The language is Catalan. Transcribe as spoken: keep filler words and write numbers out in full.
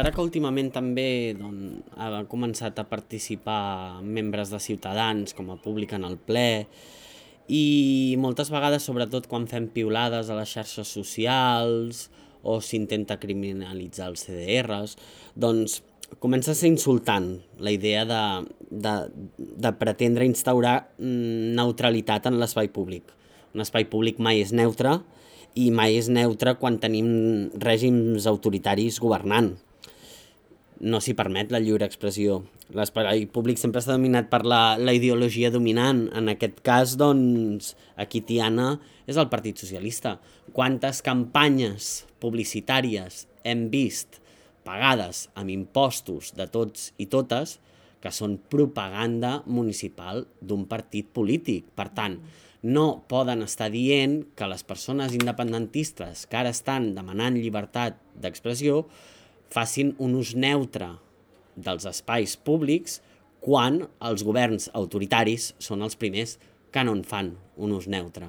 Ara que últimament també doncs, ha començat a participar membres de Ciutadans com a públic en el ple i moltes vegades, sobretot quan fem piulades a les xarxes socials o s'intenta criminalitzar els C D Rs, doncs comença a ser insultant la idea de, de, de pretendre instaurar mm, neutralitat en l'espai públic. Un espai públic mai és neutre i mai és neutre quan tenim règims autoritaris governant. No s'hi permet la lliure expressió. L'espai públic sempre està dominat per la, la ideologia dominant. En aquest cas, doncs, aquí Tiana és el Partit Socialista. Quantes campanyes publicitàries hem vist pagades amb impostos de tots i totes que són propaganda municipal d'un partit polític. Per tant, no poden estar dient que les persones independentistes que ara estan demanant llibertat d'expressió facin un ús neutre dels espais públics quan els governs autoritaris són els primers que no en fan un ús neutre.